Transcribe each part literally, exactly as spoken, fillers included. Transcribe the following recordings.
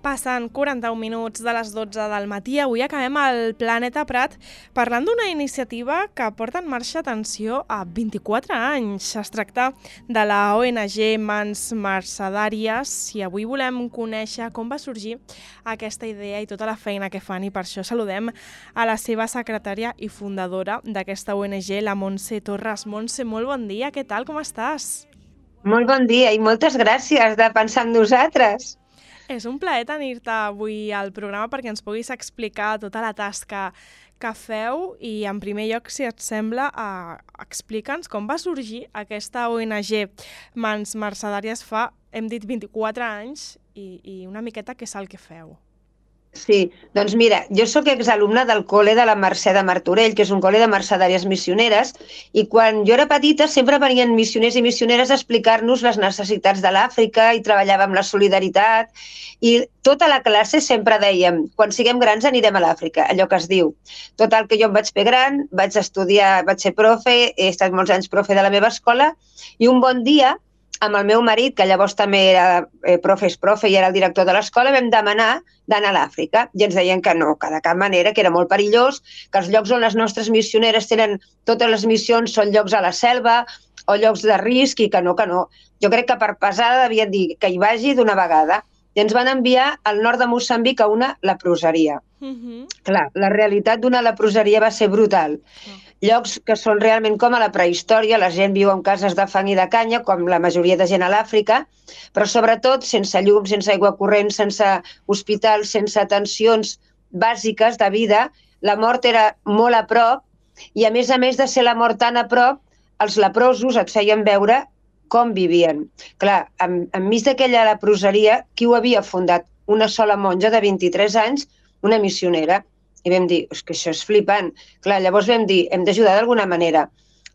Passen quaranta-un minuts de les dotze del matí. Avui acabem al Planeta Prat parlant d'una iniciativa que porta en marxa, atenció, a vint-i-quatre anys. Es tracta de la O N G Mans Mercedàries i avui volem conèixer com va sorgir aquesta idea i tota la feina que fan, i per això saludem a la seva secretària i fundadora d'aquesta O N G, la Montse Torres. Montse, molt bon dia, què tal, com estàs? Molt bon dia i moltes gràcies de pensar en nosaltres. És un plaer tenir-te avui al programa perquè ens puguis explicar tota la tasca que feu i, en primer lloc, si et sembla, eh, explica'ns com va sorgir aquesta O N G Mans Mercedàries fa, hem dit, vint-i-quatre anys i, i una miqueta què és el que feu. Sí, doncs mira, jo sóc exalumna del col·le de la Mercè de Martorell, que és un col·le de mercedàries missioneres, i quan jo era petita sempre venien missioners i missioneres a explicar-nos les necessitats de l'Àfrica i treballàvem la solidaritat, i tota la classe sempre dèiem, quan siguem grans anirem a l'Àfrica, allò que es diu. Total, que jo em vaig fer gran, vaig estudiar, vaig ser profe, he estat molts anys profe de la meva escola, i un bon dia, amb el meu marit, que llavors també era eh, profe, és profe i era el director de l'escola, vam demanar d'anar a l'Àfrica. I ens deien que no, que de cap manera, que era molt perillós, que els llocs on les nostres missioneres tenen totes les missions són llocs a la selva o llocs de risc i que no, que no. Jo crec que per pesada devien dir que hi vagi d'una vegada. I ens van enviar al nord de Moçambic a una leproseria. Uh-huh. Clar, la realitat d'una leproseria va ser brutal. Uh-huh. Llocs que són realment com a la prehistòria, la gent viu en cases de fang i de canya, com la majoria de gent a l'Àfrica, però sobretot sense llum, sense aigua corrent, sense hospitals, sense atencions bàsiques de vida. La mort era molt a prop i, a més a més de ser la mort tan a prop, els leprosos et feien veure com vivien. Clar, en, enmig d'aquella leproseria, qui ho havia fundat? Una sola monja de vint-i-tres anys, una missionera. I vam dir, és que això és flipant. Clar, llavors vam dir, hem d'ajudar d'alguna manera.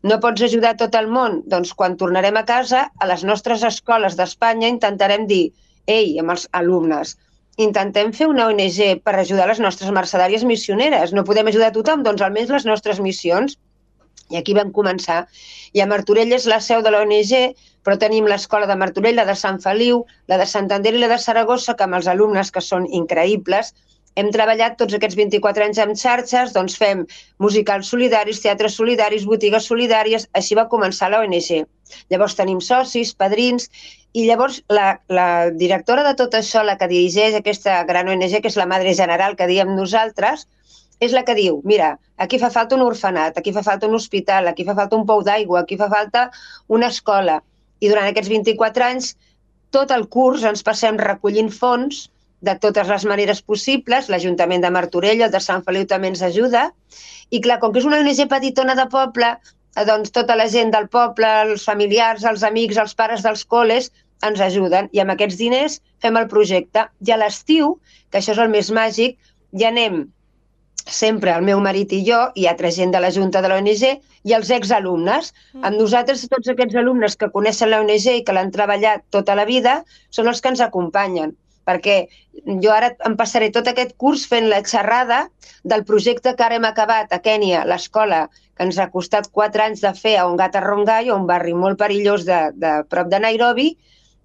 No pots ajudar tot el món? Doncs quan tornarem a casa, a les nostres escoles d'Espanya intentarem dir, ei, amb els alumnes, intentem fer una O N G per ajudar les nostres mercedàries missioneres. No podem ajudar a tothom, doncs almenys les nostres missions. I aquí vam començar. I a Martorell és la seu de la O N G, però tenim l'escola de Martorell, la de Sant Feliu, la de Santander i la de Saragossa, que amb els alumnes, que són increïbles, hem treballat tots aquests vint-i-quatre anys amb xarxes, doncs fem musicals solidaris, teatres solidaris, botigues solidàries, així va començar la O N G. Llavors tenim socis, padrins, i llavors la, la directora de tot això, la que dirigeix aquesta gran O N G, que és la Madre General que diem nosaltres, és la que diu, mira, aquí fa falta un orfenat, aquí fa falta un hospital, aquí fa falta un pou d'aigua, aquí fa falta una escola. I durant aquests vint-i-quatre anys, tot el curs ens passem recollint fons de totes les maneres possibles. L'Ajuntament de Martorell, el de Sant Feliu també ens ajuda. I clar, com que és una O N G petitona de poble, doncs tota la gent del poble, els familiars, els amics, els pares dels col·les, ens ajuden. I amb aquests diners fem el projecte. I a l'estiu, que això és el més màgic, ja anem sempre el meu marit i jo, i altra gent de la Junta de la O N G, i els exalumnes. Mm. Amb nosaltres, tots aquests alumnes que coneixen la O N G i que l'han treballat tota la vida, són els que ens acompanyen. Perquè jo ara em passaré tot aquest curs fent la xerrada del projecte que ara hem acabat a Kènia, l'escola, que ens ha costat quatre anys de fer a Ongata Rongai, un barri molt perillós de, de prop de Nairobi,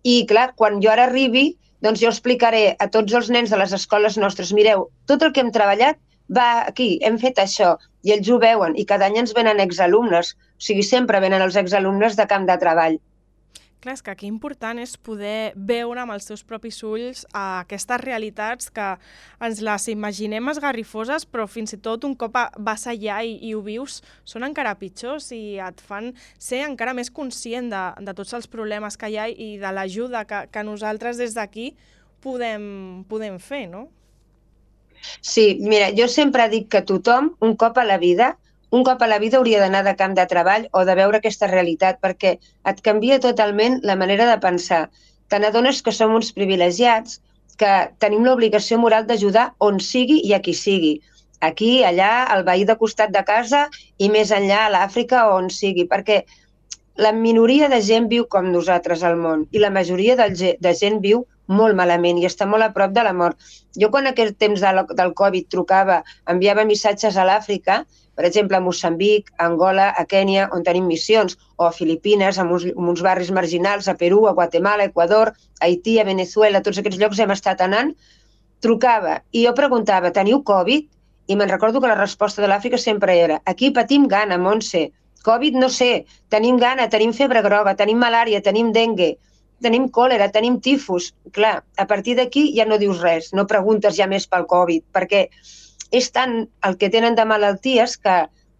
i clar, quan jo ara arribi, doncs jo explicaré a tots els nens de les escoles nostres, mireu, tot el que hem treballat va aquí, hem fet això, i ells ho veuen, i cada any ens venen exalumnes, o sigui, sempre venen els exalumnes de camp de treball. Clar, és que aquí important és poder veure amb els teus propis ulls uh, aquestes realitats que ens les imaginem esgarrifoses, però fins i tot un cop vas allà i, i ho vius, són encara pitjors i et fan ser encara més conscient de, de tots els problemes que hi ha i de l'ajuda que, que nosaltres des d'aquí podem, podem fer, no? Sí, mira, jo sempre dic que tothom, un cop a la vida, un cop a la vida hauria d'anar de camp de treball o de veure aquesta realitat, perquè et canvia totalment la manera de pensar. Te n'adones que som uns privilegiats, que tenim l'obligació moral d'ajudar on sigui i a qui sigui. Aquí, allà, al veí de costat de casa i més enllà a l'Àfrica o on sigui, perquè la minoria de gent viu com nosaltres al món i la majoria de gent viu molt malament i està molt a prop de la mort. Jo quan aquest temps del Covid trucava, enviava missatges a l'Àfrica, per exemple, a Moçambic, a Angola, a Kènia, on tenim missions, o a Filipines, en uns, en uns barris marginals, a Perú, a Guatemala, a Equador, a Haití, a Venezuela, a tots aquests llocs hem estat anant, trucava i jo preguntava, teniu Covid? I me'n recordo que la resposta de l'Àfrica sempre era, aquí patim gana, Montse, Covid no sé, tenim gana, tenim febre groga, tenim malària, tenim dengue, tenim còlera, tenim tifus. Clar, a partir d'aquí ja no dius res, no preguntes ja més pel Covid, perquè és tant el que tenen de malalties que,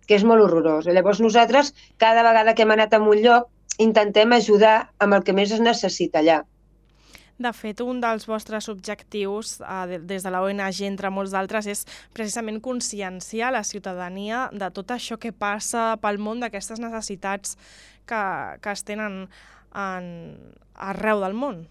que és molt horrorós. Llavors nosaltres, cada vegada que hem anat a un lloc, intentem ajudar amb el que més es necessita allà. De fet, un dels vostres objectius eh, des de la O N G, entre molts d'altres, és precisament conscienciar la ciutadania de tot això que passa pel món, d'aquestes necessitats que, que es tenen en, arreu del món.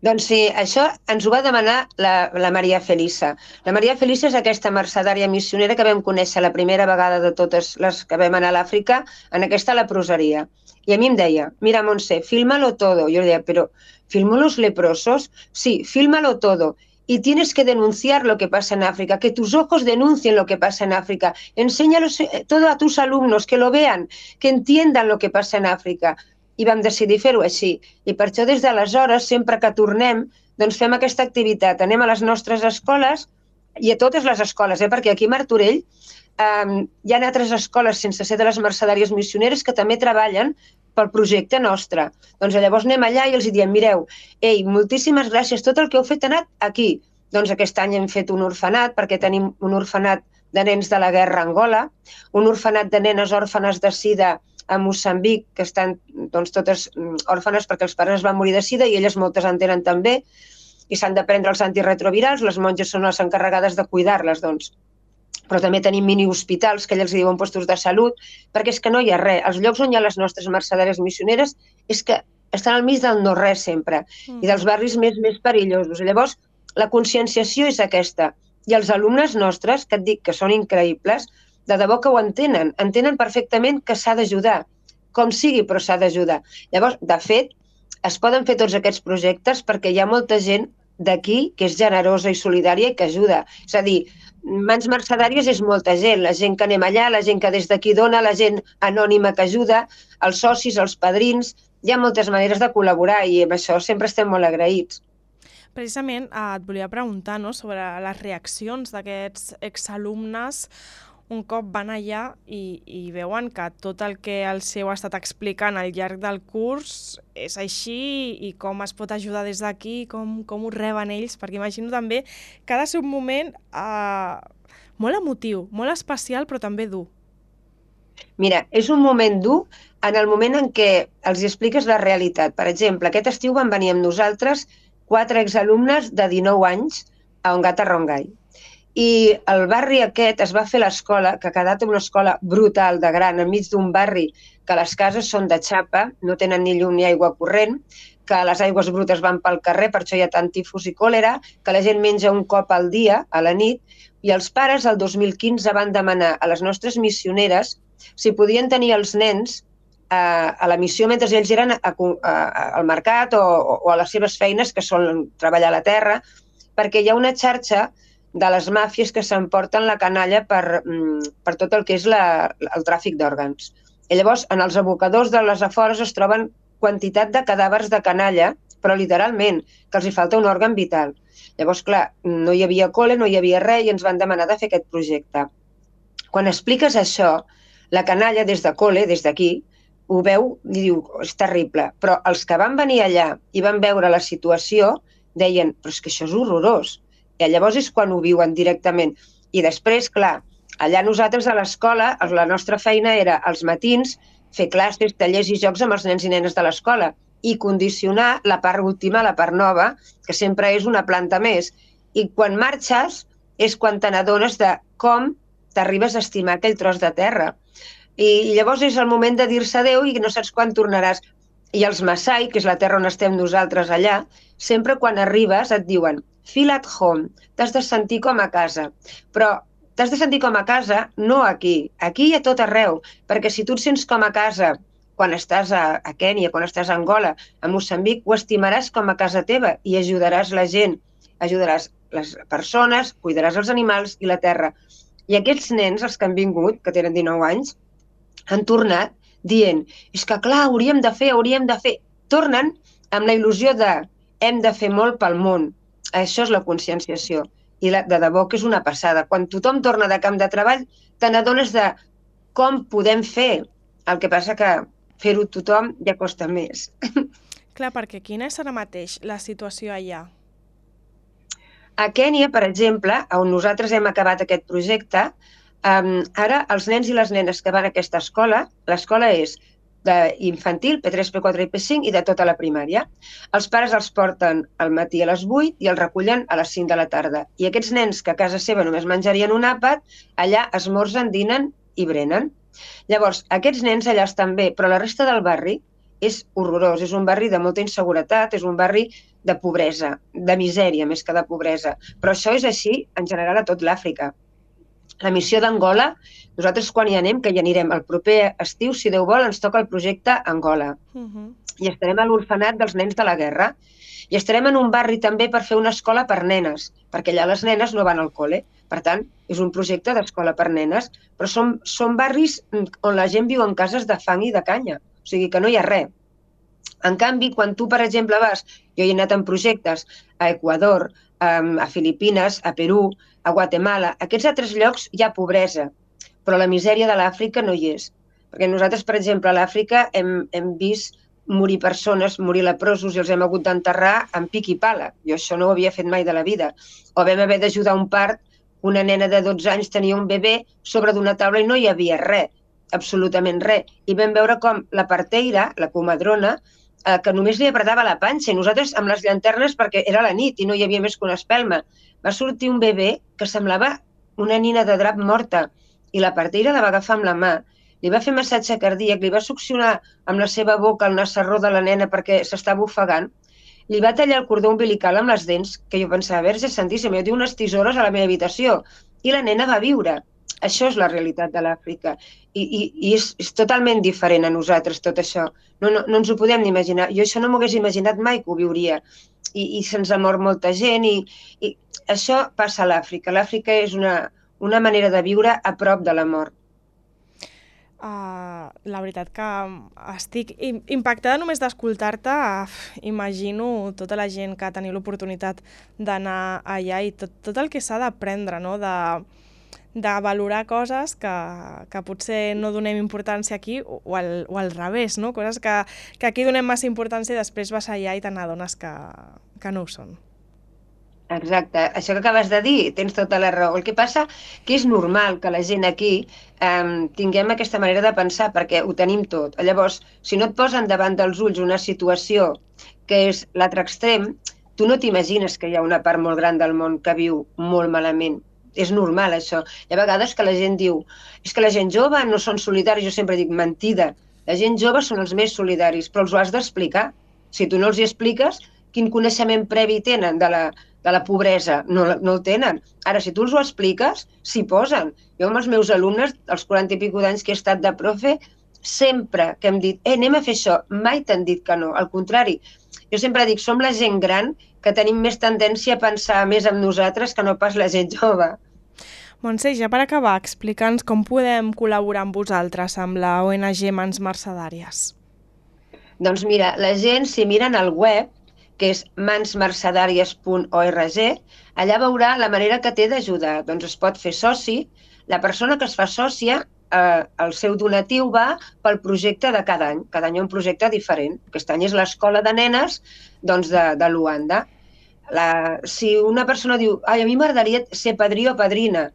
Doncs sí, això ens ho va demanar la, la Maria Felisa. La Maria Felisa és aquesta mercedària missionera que vam conèixer la primera vegada de totes les que vam anar a l'Àfrica, en aquesta leproseria. I a mi em deia, mira, Montse, fílmalo todo. Jo li deia, però ¿filmo los leprosos? Sí, fílmalo todo. Y tienes que denunciar lo que pasa en África, que tus ojos denuncien lo que pasa en África. Enséñalos todo a tus alumnos, que lo vean, que entiendan lo que pasa en Àfrica. I vam decidir fer-ho així. I per això des d'aleshores, sempre que tornem, doncs fem aquesta activitat. Anem a les nostres escoles i a totes les escoles, eh? Perquè aquí a Martorell eh, hi ha altres escoles sense ser de les mercedàries missioneres que també treballen pel projecte nostre. Doncs llavors anem allà i els diem, mireu, ei, moltíssimes gràcies, tot el que heu fet ha anat aquí. Doncs aquest any hem fet un orfenat, perquè tenim un orfenat de nens de la guerra a Angola, un orfenat de nenes òrfanes de sida a Moçambic, que estan doncs, totes òrfanes perquè els pares van morir de sida i elles moltes en tenen també, i s'han de prendre els antirretrovirals, les monges són les encarregades de cuidar-les, doncs. Però també tenim mini-hospitals, que ells diuen puestos de salut, perquè és que no hi ha res. Els llocs on hi ha les nostres mercedàries missioneres és que estan al mig del no-res sempre, mm. i dels barris més, més perillosos. I llavors, la conscienciació és aquesta. I els alumnes nostres, que et dic que són increïbles, de debò que ho entenen, entenen perfectament que s'ha d'ajudar, com sigui, però s'ha d'ajudar. Llavors, de fet, es poden fer tots aquests projectes perquè hi ha molta gent d'aquí que és generosa i solidària i que ajuda. És a dir, Mans Mercedàries és molta gent, la gent que anem allà, la gent que des d'aquí dona, la gent anònima que ajuda, els socis, els padrins, hi ha moltes maneres de col·laborar i amb això sempre estem molt agraïts. Precisament eh, et volia preguntar, no?, sobre les reaccions d'aquests exalumnes un cop van allà i, i veuen que tot el que el seu ha estat explicant al llarg del curs és així i com es pot ajudar des d'aquí, com, com ho reben ells, perquè imagino també que ha de ser un moment eh, molt emotiu, molt especial, però també dur. Mira, és un moment dur en el moment en què els expliques la realitat. Per exemple, aquest estiu van venir amb nosaltres quatre exalumnes de dinou anys a Ongata Rongai. I el barri aquest es va fer l'escola, que ha quedat una escola brutal de gran, enmig d'un barri que les cases són de xapa, no tenen ni llum ni aigua corrent, que les aigües brutes van pel carrer, per això hi ha tant tifus i còlera, que la gent menja un cop al dia, a la nit, i els pares el dos mil quinze van demanar a les nostres missioneres si podien tenir els nens a, a la missió mentre ells eren a, a, al mercat o, o a les seves feines, que són treballar a la terra, perquè hi ha una xarxa de les màfies que s'emporten la canalla per, per tot el que és la, el tràfic d'òrgans. I llavors, en els abocadors de les afores es troben quantitat de cadàvers de canalla, però literalment, que els hi falta un òrgan vital. Llavors, clar, no hi havia col·le, no hi havia res, i ens van demanar de fer aquest projecte. Quan expliques això, la canalla des de col·le, des d'aquí, ho veu i diu, és terrible. Però els que van venir allà i van veure la situació, deien, però és que això és horrorós. I llavors és quan ho viuen directament. I després, clar, allà nosaltres a l'escola, la nostra feina era als matins fer classes, tallers i jocs amb els nens i nenes de l'escola i condicionar la part última, la part nova, que sempre és una planta més. I quan marxes és quan te n'adones de com t'arribes a estimar aquell tros de terra. I llavors és el moment de dir-se adéu i no saps quan tornaràs. I els Maasai, que és la terra on estem nosaltres allà, sempre quan arribes et diuen feel at home, t'has de sentir com a casa. Però t'has de sentir com a casa no aquí, aquí i a tot arreu, perquè si tu et sents com a casa quan estàs a, a Kènia, quan estàs a Angola, a Moçambic, ho estimaràs com a casa teva i ajudaràs la gent, ajudaràs les persones, cuidaràs els animals i la terra. I aquests nens, els que han vingut, que tenen dinou anys, han tornat dient, és que clar, hauríem de fer, hauríem de fer. Tornen amb la il·lusió de hem de fer molt pel món. Això és la conscienciació. I la, de debò que és una passada. Quan tothom torna de camp de treball, te n'adones de com podem fer. El que passa que fer-ho tothom ja costa més. Clar, perquè quina és ara mateix la situació allà? A Kènia, per exemple, on nosaltres hem acabat aquest projecte, um, ara els nens i les nenes que van a aquesta escola, l'escola és d'infantil, P tres, P quatre i P cinc, i de tota la primària. Els pares els porten al matí a les vuit i els recullen a les cinc de la tarda. I aquests nens que a casa seva només menjarien un àpat, allà esmorzen, dinen i brenen. Llavors, aquests nens allà estan bé, però la resta del barri és horrorós. És un barri de molta inseguretat, és un barri de pobresa, de misèria més que de pobresa. Però això és així en general a tot l'Àfrica. La missió d'Angola, nosaltres quan hi anem, que hi anirem el proper estiu, si Déu vol, ens toca el projecte Angola. Uh-huh. I estarem a l'orfenat dels nens de la guerra. I estarem en un barri també per fer una escola per nenes, perquè allà les nenes no van al col·le. Per tant, és un projecte d'escola per nenes, però són, són barris on la gent viu en cases de fang i de canya. O sigui que no hi ha res. En canvi, quan tu, per exemple, vas, jo he anat en projectes a Equador, a Filipines, a Perú, a Guatemala, a aquests altres llocs hi ha pobresa, però la misèria de l'Àfrica no hi és. Perquè nosaltres, per exemple, a l'Àfrica hem, hem vist morir persones, morir leprosos i els hem hagut d'enterrar amb pic i pala. Jo això no ho havia fet mai de la vida. O vam haver d'ajudar un part, una nena de dotze anys tenia un bebè sobre d'una taula i no hi havia res, absolutament res. I vam veure com la parteira, la comadrona, eh, que només li apretava la panxa i nosaltres amb les llanternes perquè era la nit i no hi havia més que una espelma. Va sortir un bebè que semblava una nina de drap morta i la parteira la va agafar amb la mà, li va fer massatge cardíac, li va succionar amb la seva boca el nassarró de la nena perquè s'estava ofegant, li va tallar el cordó umbilical amb les dents, que jo pensava, Verge Santíssima, jo tinc unes tisores a la meva habitació, i la nena va viure. Això és la realitat de l'Àfrica. I, i, i és, és totalment diferent a nosaltres, tot això. No, no, no ens ho podem ni imaginar. Jo això no m'ho hagués imaginat mai que ho viuria. I, i se'ns ha mort molta gent. I, i això passa a l'Àfrica. L'Àfrica és una, una manera de viure a prop de la mort. Uh, la veritat que estic impactada només d'escoltar-te. Uh, imagino tota la gent que ha tenit l'oportunitat d'anar allà i tot, tot el que s'ha d'aprendre, no? de, de valorar coses que, que potser no donem importància aquí o, o, al, o al revés, no? Coses que, que aquí donem massa importància i després vas allà i te n'adones que, que no ho són. Exacte, això que acabes de dir, tens tota la raó. El que passa que és normal que la gent aquí eh, tinguem aquesta manera de pensar perquè ho tenim tot. Llavors, si no et posen davant dels ulls una situació que és l'altre extrem, tu no t'imagines que hi ha una part molt gran del món que viu molt malament. És normal, això. Hi ha vegades que la gent diu és que la gent jove no són solidaris. Jo sempre dic, mentida. La gent jove són els més solidaris, però els ho has d'explicar. Si tu no els hi expliques, quin coneixement previ tenen de la, de la pobresa? No, no el tenen. Ara, si tu els ho expliques, s'hi posen. Jo amb els meus alumnes, als quaranta i pico d'anys que he estat de profe, sempre que hem dit, eh, anem a fer això, mai t'han dit que no. Al contrari, jo sempre dic, som la gent gran que tenim més tendència a pensar més en nosaltres que no pas la gent jove. Montse, ja per acabar, explica'ns com podem col·laborar amb vosaltres, amb la O N G Mans Mercedàries. Doncs mira, la gent, si miren al web, que és mans mercedàries punt org, allà veurà la manera que té d'ajudar. Doncs es pot fer soci. La persona que es fa sòcia, eh, el seu donatiu va pel projecte de cada any. Cada any hi ha un projecte diferent. Aquest any és l'escola de nenes doncs, de, de Luanda. La, si una persona diu, ai, a mi m'agradaria ser padrí o padrina,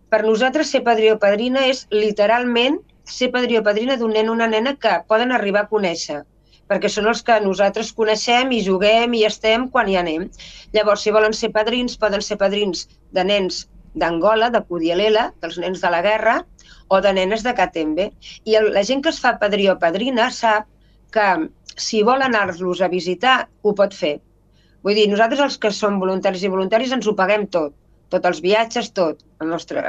per nosaltres ser padrí o padrina és literalment ser padrí o padrina d'un nen o una nena que poden arribar a conèixer, perquè són els que nosaltres coneixem i juguem i estem quan hi anem. Llavors, si volen ser padrins, poden ser padrins de nens d'Angola, de Kudialela, dels nens de la guerra, o de nenes de Katembe. I el, la gent que es fa padrí o padrina sap que si vol anar-los a visitar, ho pot fer. Vull dir, nosaltres els que som voluntaris i voluntaris ens ho paguem tot, tots els viatges, tot. El nostre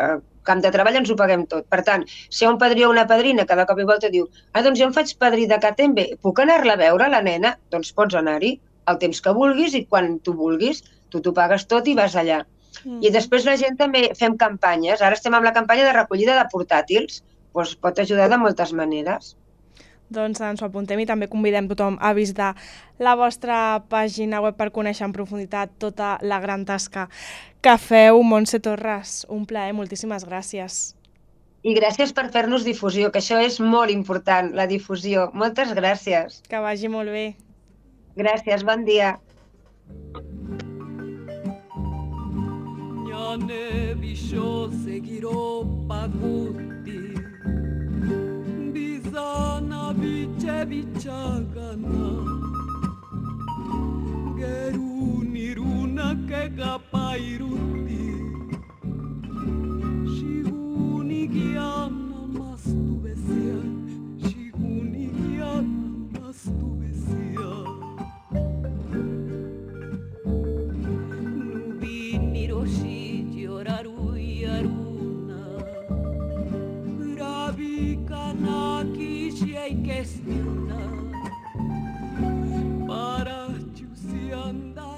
camp de treball ens ho paguem tot. Per tant, si hi ha un padrí o una padrina que de cop i volta diu ah, doncs jo em faig padrí de Katembe, puc anar-la a veure, la nena? Doncs pots anar-hi el temps que vulguis i quan tu vulguis. Tu t'ho pagues tot i vas allà. Mm. I després la gent també fem campanyes. Ara estem amb la campanya de recollida de portàtils. Doncs pot ajudar de moltes maneres. Doncs ens ho apuntem i també convidem tothom a visitar la vostra pàgina web per conèixer en profunditat tota la gran tasca que feu. Montse Torres, un plaer, moltíssimes gràcies. I gràcies per fer-nos difusió, que això és molt important, la difusió. Moltes gràcies. Que vagi molt bé. Gràcies, bon dia. Jane biso segiro paguti Bizana bice bicagana Geruni runa ke kapairuti Shiguni giana mastu besia Shiguni giana mastu besia Nubini roshi Kestiona para ciusi andare